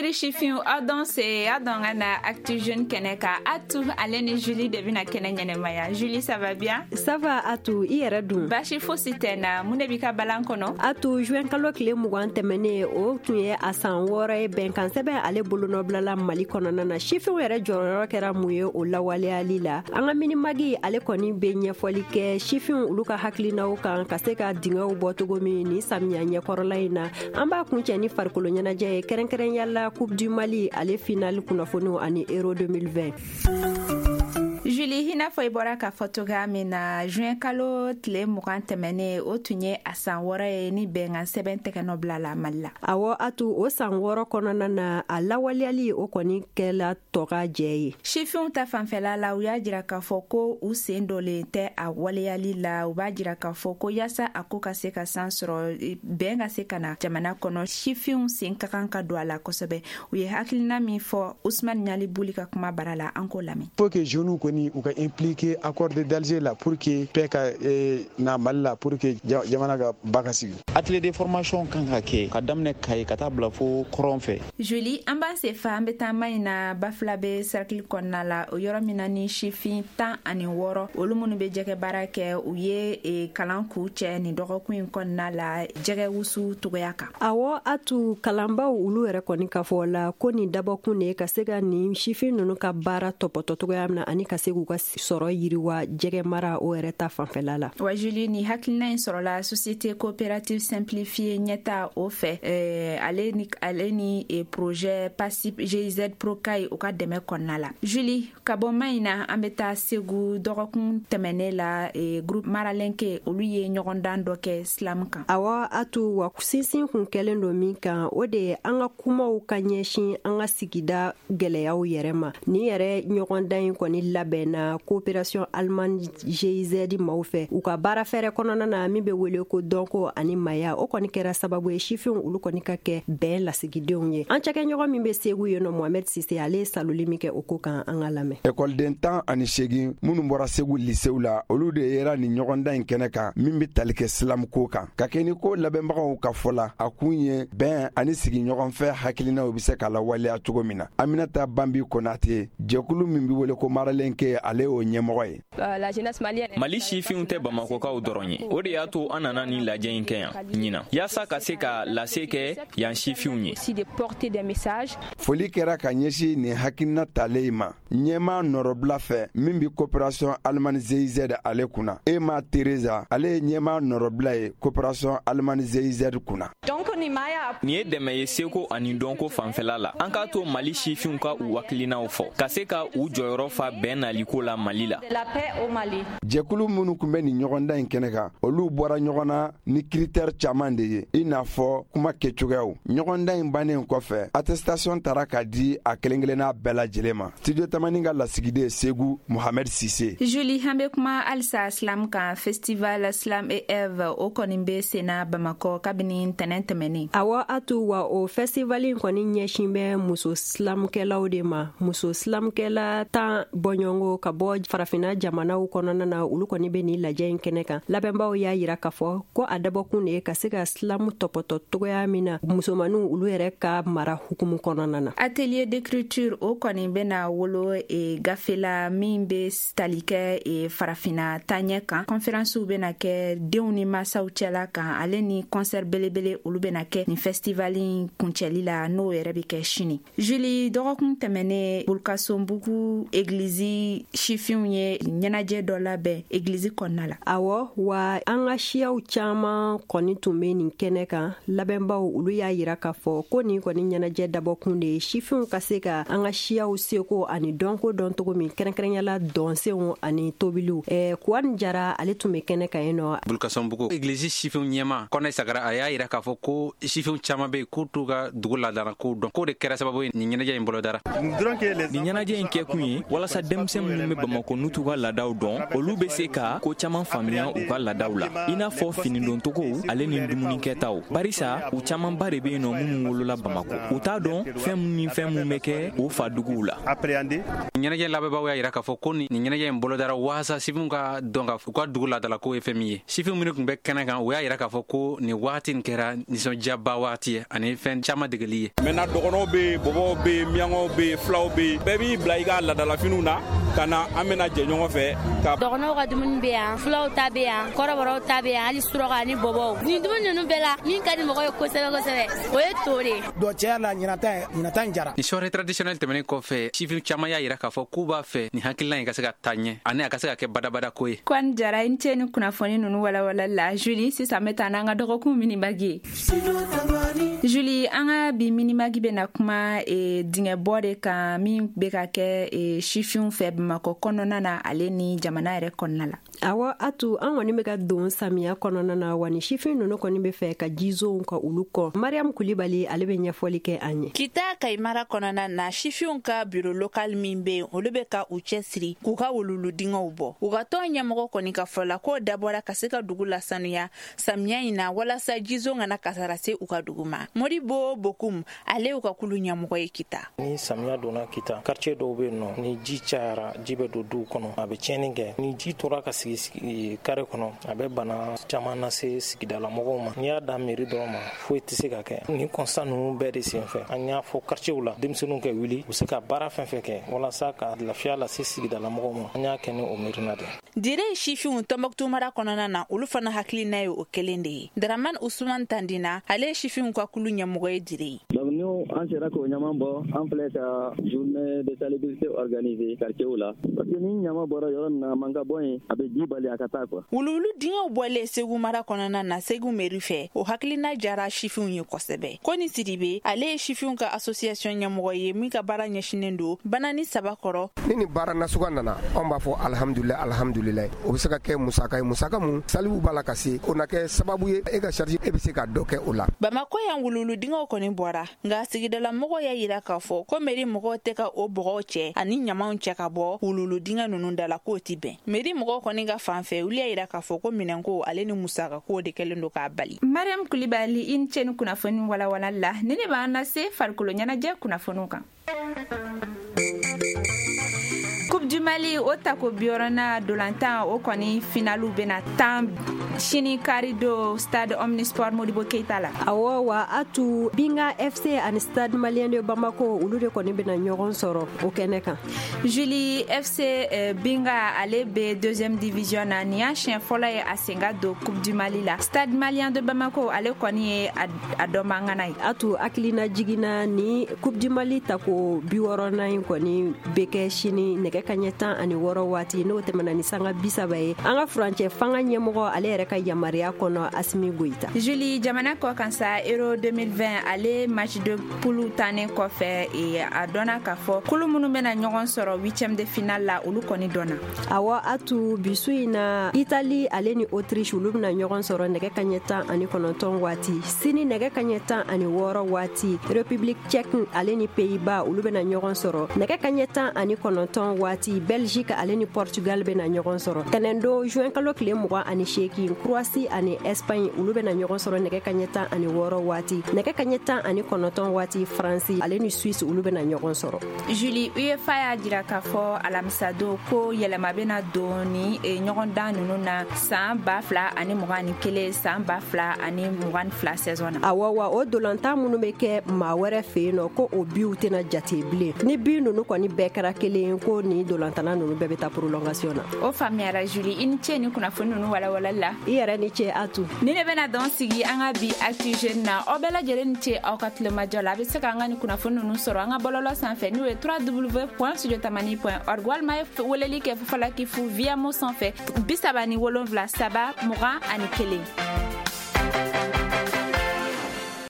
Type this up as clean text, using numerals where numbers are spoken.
Seri sifinw, aw dɔn se, aw dɔn ka na Actu Jeune kɛnɛ kan. Atu, ale ni Julie de bɛna kɛnɛ ɲɛnɛmaya. Julie, ça va bien? Ça va Atu, i yɛrɛ dun? Baasi fosi tɛ na. Mun de b'i ka balan kɔnɔ? Atu, juin kalo tile 20 tɛmɛnen, o tun ye a san 6 ye bɛnkan sɛbɛn ale bolonɔbilala Mali kɔnɔna na. Sifinw yɛrɛ jɔyɔrɔ kɛra mun ye o lawaleyali la? An ka Minimagi, ale kɔni bɛ ɲɛfɔli kɛ sifinw olu ka hakilinaw kan ka se ka dingɛw bɔ cogo min nin samiya ɲɛkɔrɔla in na. An b'a kuncɛ ni farikolo ɲɛnajɛ ye, kɛrɛnkɛrɛnya la Coupe du Mali ale finale kunnafoniw ani Euro 2020. Julie, i n'a fɔ i bɔra k'a fɔ cogoya min na, juin kalo tile 20 tɛmɛnen, o tun ye a san 6 ye ni bɛnkan sɛbɛn tɛgɛnɔ bila la Mali la. Awɔ Atu, o san 6 kɔnɔna na, a lawaleyali o kɔni kɛla tɔka jɛ ye. Sifinw ta fanfɛla la, u y'a jira k'a fɔ ko u sen dɔlen tɛ a waleyali la. U b'a jira k'a fɔ ko yaasa a ko ka se ka san sɔrɔ, bɛn ka se ka na jamana kɔnɔ, sifinw sen ka kan ka don a la kosɛbɛ. U ye hakilina min fɔ Usman Ɲali Buli ka kuma bara la, an k'o lamɛn. Faut que jeunes kɔni u ka impliquer accord d'Alger la pour que paix ka na Mali la, pour que jamana ka ba ka sigi. Atelier de formation kan ka kɛ ka daminɛ Kayi ka taa bila fo kɔrɔn fɛ. Julie, an b'an sen fa, an bɛ taa Mahina Bafoulabé cercle kɔnɔna la, o yɔrɔ min na ni sifin 16, olu minnu bɛ jɛgɛ baara kɛ, u ye kalan k'u cɛ nin dɔgɔkun in kɔnɔna la jɛgɛ wusu togoya kan. Awɔ Atu, kalanbaw olu yɛrɛ kɔni ka fɔ la ko nin dabɔkun de ye ka se ka nin sifin ninnu ka baara tɔpɔtɔ cogoya min na ani ka se k'u ka sɔrɔ yiriwa jɛgɛ mara o yɛrɛ ta fanfɛla la. Wa Julie, ni hakilina in sɔrɔla société coopérative simplifiée ɲɛta o fɛ, ale ni projet PASIP GIZ Procaille o ka dɛmɛ kɔnɔna la. Julie, ka bɔ Mahina, an bɛ taa Segu. Dɔgɔkun tɛmɛnen la, groupe Maralenke olu ye ɲɔgɔndan dɔ kɛ slam kan. Awɔ Atu, wa sinsin kun kɛlen don min kan, o de ye an ka kumaw ka ɲɛsin an ka sigida gɛlɛyaw yɛrɛ ma. Nin yɛrɛ ɲɔgɔndan in kɔni labɛnna coopération allemande GIZ maaw fɛ u ka baara fɛrɛ kɔnɔna na min bɛ wele ko dɔnko ani maya. O kɔni kɛra sababu ye sifinw olu kɔni ka kɛ bɛn lasigidenw ye. An cakɛɲɔgɔn min bɛ Segu yen nɔ, Mohamed Sise, ale ye saloli min kɛ o ko kan, an ka lamɛn. Ekɔliden 18 minnu bɔra Segu lisew la, olu de yera nin ɲɔgɔndan in kɛnɛ kan min bɛ tali kɛ slam ko kan. Ka kɛ ni ko labɛnbagaw ka fɔ la, a kun ye bɛn ani sigiɲɔgɔnfɛ hakilinaw bɛ se ka lawaleya cogo min na. Aminata Banbi Konate, jɛkulu min bɛ wele ko Maralenke, ale y'o ɲɛmɔgɔ ye. Mali sifinw tɛ Bamakɔkaw dɔrɔn ye. O de y'a to an nana nin lajɛ in kɛ yan ɲinan, yaasa ka se ka lase kɛ yan sifinw ye. Foli kɛra ka ɲɛsin nin hakilina talen ma ɲɛma nɔrɔbila fɛ min bɛ coopération allemande GIZ ale kunna. Ema Teresa, ale ye ɲɛma nɔrɔbila ye coopération allemande GIZ kunna. Nin ye dɛmɛ ye seko ani dɔnko fanfɛla la. An k'a to Mali sifinw ka u hakilinaw fɔ ka se ka u jɔyɔrɔ fa bɛn naliko la Mali la. Jɛkulu minnu tun bɛ nin ɲɔgɔndan in kɛnɛ kan, olu bɔra ɲɔgɔn na ni critère caman de ye, i n'a fɔ kuma kɛcogoyaw. Ɲɔgɔndan in bannen kɔfɛ, attestation taara ka di a kelen kelenna bɛɛ lajɛlen ma. Studio Tamani ka lasigiden Segu, Mohamed Sise. Julie, an bɛ kuma halisa slam kan. Festival Slam et Eve, o kɔni bɛ senna Bamakɔ kabini ntɛnɛn tɛmɛnen. Awɔ Atu, wa o festival in kɔni ɲɛsin bɛ muso slamkɛlaw de ma. Muso slamkɛla 10 bɔɲɔgɔnko ka bɔ farafinna jamanaw kɔnɔna na, olu kɔni bɛ nin lajɛ in kɛnɛ kan. Labɛnbaw y'a yira k'a fɔ ko a dabɔkun de ye ka se ka slam tɔpɔtɔ togoya min na musomaninw olu yɛrɛ ka mara hukumu kɔnɔna na. Atelier d'écriture, o kɔni bɛna wolo gafe la min bɛ tali kɛ farafinna taɲɛ kan. Conférencew bɛna kɛ denw ni masaw cɛla kan, ale ni concert belebele olu bɛna kɛ nin festival in kuncɛli la, n'o yɛrɛ bɛ kɛ sini. Julie, dɔgɔkun tɛmɛnen, Burkasonbugu egilizi sifinw ye ɲɛnajɛ dɔ labɛn egilizi kɔnɔna la. Awɔ, wa an ka siyaw caman kɔni tun bɛ nin kɛnɛ kan. Labɛnbaw olu y'a yira k'a fɔ ko nin kɔni ɲɛnajɛ dabɔkun de ye sifinw ka se ka an ka siyaw seko ani dɔnko dɔn cogo min, kɛrɛnkɛrɛnyala dɔnsenw ani tobiliw. Kuwani Jara, ale tun bɛ kɛnɛ kan yen nɔ. Bulukasɔnbugu egilizi sifinw ɲɛma Kɔnɛ Sagara, a y'a yira k'a fɔ ko sifinw caman bɛ yen k'u t'u ka dugu ladara kow dɔn, k'o de kɛra sababu ye nin ɲɛnajɛ in bolodara. Nin ɲɛnajɛ in kɛkun ye walasa denmisɛn minnu minnu bɛ Bamakɔ n'u t'u ka laadaw dɔn, olu bɛ se ka ko caman faamuya u ka laadaw la, i n'a fɔ finidoncogow ale ni dumunikɛtaw, barisa u camanba de bɛ yen nɔ minnu wolola Bamakɔ, u t'a dɔn fɛn min ni fɛn min bɛ kɛ u fa duguw la. Ɲɛnajɛ labɛnbagaw y'a jira k'a fɔ ko nin ɲɛnajɛ in bolodara waasa sifinw ka dɔn ka u ka dugu laadalako ye fɛn min ye. Sifin minnu tun bɛ kɛnɛ kan, u y'a jira k'a fɔ ko nin waati in kɛra nisɔndiyaba waati ye ani fɛn caman degeli ye. Maintenant dɔgɔnɔw bɛ yen, bɔbɔw bɛ yen, miyankaw bɛ yen, filaw bɛ yen, bɛɛ b'i bila i ka laadalafiniw na ka na, an bɛna jɛ ɲɔgɔn fɛ. Ka dɔgɔnɔw ka dumuni bɛ yan, filaw ta bɛ yan, kɔrɔbɔrɔw ta bɛ yan, hali suraka ani bɔbɔw. Nin dumuni ninnu bɛɛ la, min ka di mɔgɔ ye kosɛbɛ kosɛbɛ, o ye to de ye. Donc tiɲɛ la, ɲinata in jara. Ni soirée traditionnelle tɛmɛnen kɔfɛ, sifin caman y'a jira k'a fɔ k'u b'a fɛ nin hakilina in ka se ka taa ɲɛ ani a ka se ka kɛ badabada ko ye. Kɔni Jara, i ni ce ni kunnafoni ninnu walawalali la. Julie, sisan bɛ taa n'an ka dɔgɔkun minibagi ye. Julie, an ka bi minibagi bɛna kuma dingɛbɔ de kan min bɛ ka kɛ sifinw fɛ Bamakɔ kɔnɔna na ale ni jamana yɛrɛ kɔnɔna la. Awɔ Atu, an kɔni bɛ ka don samiya kɔnɔna na wa ni sifin ninnu kɔni bɛ fɛ ka jizonw ka olu kɔ. Mariam Kulibali, ale bɛ ɲɛfɔli kɛ an ye. Kita Kayi mara kɔnɔna na, sifinw ka bureau local min bɛ yen, olu bɛ ka u cɛ siri k'u ka wuluwulu dingɛw bɔ. U ka tɔn ɲɛmɔgɔ kɔni ka fɔ la, k'o dabɔra ka se ka dugu lasanuya samiya in na walasa jizon kana kasara se u ka dugu ma. Modibo Bokum, ale y'u ka kulu ɲɛmɔgɔ ye Kita. Ni samiya donna Kita, quartier dɔw bɛ yen nɔ, ni ji cayara, ji bɛ don duw kɔnɔ, a bɛ tiɲɛni kɛ. Ni ji tora ka sigi kare kɔnɔ, a bɛ bana caman lase sigidala mɔgɔw ma. N'i y'a da mairie dɔrɔn ma, foyi tɛ se ka kɛ. Nin constat ninnu bɛɛ de senfɛ, an y'a fɔ quartier la, denmisɛnninw ka wuli, u se ka baara fɛn fɛn kɛ walasa ka lafiya lase sigidala mɔgɔw ma. An y'a kɛ ni o miirina de. Dire sifinw Tɔnbɔkutu mara kɔnɔna na, olu fana hakilina ye o kelen de ye. Daraman Usman Tandina, ale ye sifinw ka kulu ɲɛmɔgɔ ye Dire. Donc nous, an sera k'o ɲaman bɔ, an filɛ ka journée de salubrité organiser quartier la, parce que ni ɲama bɔra yɔrɔ min na, a man ka bɔ yen, a bɛ ji bali a ka taa quoi. Wuluwulu dingɛw bɔlen Segu mara kɔnɔna na, Segu mairie fɛ, o hakilina jara sifinw ye kosɛbɛ. Koni Sidibe, ale ye sifinw ka association ɲɛmɔgɔ ye min ka baara ɲɛsinnen don Banani Saba kɔrɔ. Ni nin baara nasuga nana, anw b'a fɔ alhamdulilayi, alhamdulilayi. O bɛ se ka kɛ musaka ye, musaka mun salibu b'a la ka se, o na kɛ sababu ye e ka charge, e bɛ se ka dɔ kɛ o la. Bamakɔ yan, wuluwulu dingɛw kɔni bɔra, nka sigidala mɔgɔw y'a yira k'a fɔ ko mairie mɔgɔw tɛ ka o bɔgɔw cɛ ani ɲamanw cɛ ka bɔ wuluwulu dingɛ ninnu da la, k'o ti bɛn. Mairie mɔgɔw kɔni ka fan fɛ, olu y'a yira k'a fɔ ko minɛnko ale ni musakako de kɛlen don k'a bali. Mariam Kulibali, i ni ce ni kunnafoni walawala la. Ni ne b'an lase farikolo ɲɛnajɛ kunnafoniw kan. Coupe du Mali, o tako 60nan dolantan, o kɔni finalu bɛna tan sini kari do stade Omnisport Modibo Keita la. Awɔ wa Atu, Binga FC ani Stade Malien de Bamako, olu de kɔni bɛna ɲɔgɔn sɔrɔ o kɛnɛ kan. Julie, FC Binga, ale bɛ deuxième division na, nin y'a siɲɛ fɔlɔ ye a sen ka don Coupe du Mali la. Stade Malien de Bamako, ale kɔni ye a dɔnbangana ye. Atu, hakilina jiginna ni Coupe du Mali tako 60nan in kɔni bɛ kɛ sini nɛgɛ kaɲɛ 16 waati, n'o tɛmɛna ni sanga 30 ye, an ka furancɛ fanga ɲɛmɔgɔ, ale yɛrɛ ka yamaruya kɔnɔ, Asimi Goyita. Julie, jamana kɔ kan sa, Euro 2020, ale match de poule tannen kɔfɛ, a dɔnna k'a fɔ kulu minnu bɛna ɲɔgɔn sɔrɔ huitième de finale la, olu kɔni dɔnna. Awɔ Atu, bisu in na, Italie ale ni Autriche, olu bɛna ɲɔgɔn sɔrɔ nɛgɛ kaɲɛ 19 waati. Sini nɛgɛ kaɲɛ 16 waati, République tchèque ale ni Pays-Bas, olu bɛna ɲɔgɔn sɔrɔ. Nɛgɛ kaɲɛ 19 waati, Belgique ale ni Portugal bɛna ɲɔgɔn sɔrɔ. Tɛnɛndon juin kalo tile 28, Croatie ani Espagne, olu bɛna ɲɔgɔn sɔrɔ nɛgɛ kaɲɛ 16 waati. Nɛgɛ kaɲɛ 19 waati, France ale ni Suisse, olu bɛna ɲɔgɔn sɔrɔ. Julie, UEFA y'a jira k'a fɔ alamisadon ko yɛlɛma bɛna don ni ɲɔgɔndan ninnu na san 2021, san 2022 saison na. Awɔ wa, o dolantan minnu bɛ kɛ maa wɛrɛ fɛ yen nɔ, ko o biw tɛna jate bilen. Ni bi ninnu kɔni bɛɛ kɛra kelen, ko ni dolantana ninnu bɛɛ bɛ taa prolongation na. O faamuyara Julie, i ni ce ni kunnafoni ninnu walawalali la. I yɛrɛ ni ce Atu. Ni ne bɛna dɔn sigi an ka bi Actu Jeune na. Aw bɛɛ lajɛlen ni ce aw ka tulomajɔ la. A bɛ se k'an ka ni kunnafoni ninnu sɔrɔ an ka bɔlɔlɔ sanfɛ, n'o ye www.studiotamani.org, walima ye weleli kɛ Fufalaki fu via mo sanfɛ 37 3 21.